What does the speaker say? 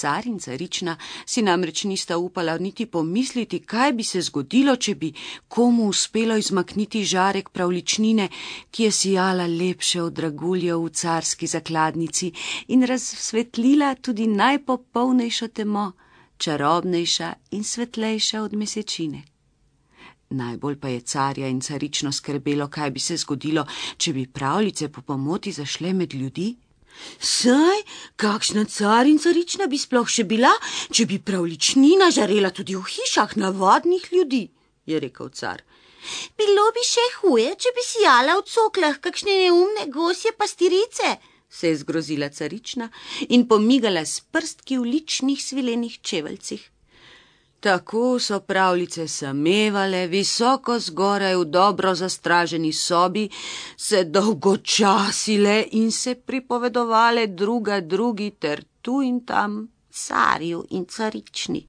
Car in carična si namreč nista upala niti pomisliti, kaj bi se zgodilo, če bi komu uspelo izmakniti žarek pravličnine, ki je sijala lepše od draguljev v carski zakladnici in razsvetlila tudi najpopolnejšo temo, čarobnejša in svetlejša od mesečine. Najbolj pa je carja in carično skrbelo, kaj bi se zgodilo, če bi pravljice po pomoti zašle med ljudi. Saj, kakšna car in carična bi sploh še bila, če bi pravličnina žarela tudi v hišah navadnih ljudi, je rekel car. Bilo bi še huje, če bi sijala v coklah kakšne neumne gosje pastirice, se je zgrozila carična in pomigala s prstki v ličnih svilenih čeveljcih. Tako so pravljice samevale, visoko zgoraj v dobro zastraženi sobi, se dolgočasile in se pripovedovale druga drugi ter tu in tam carju in carični.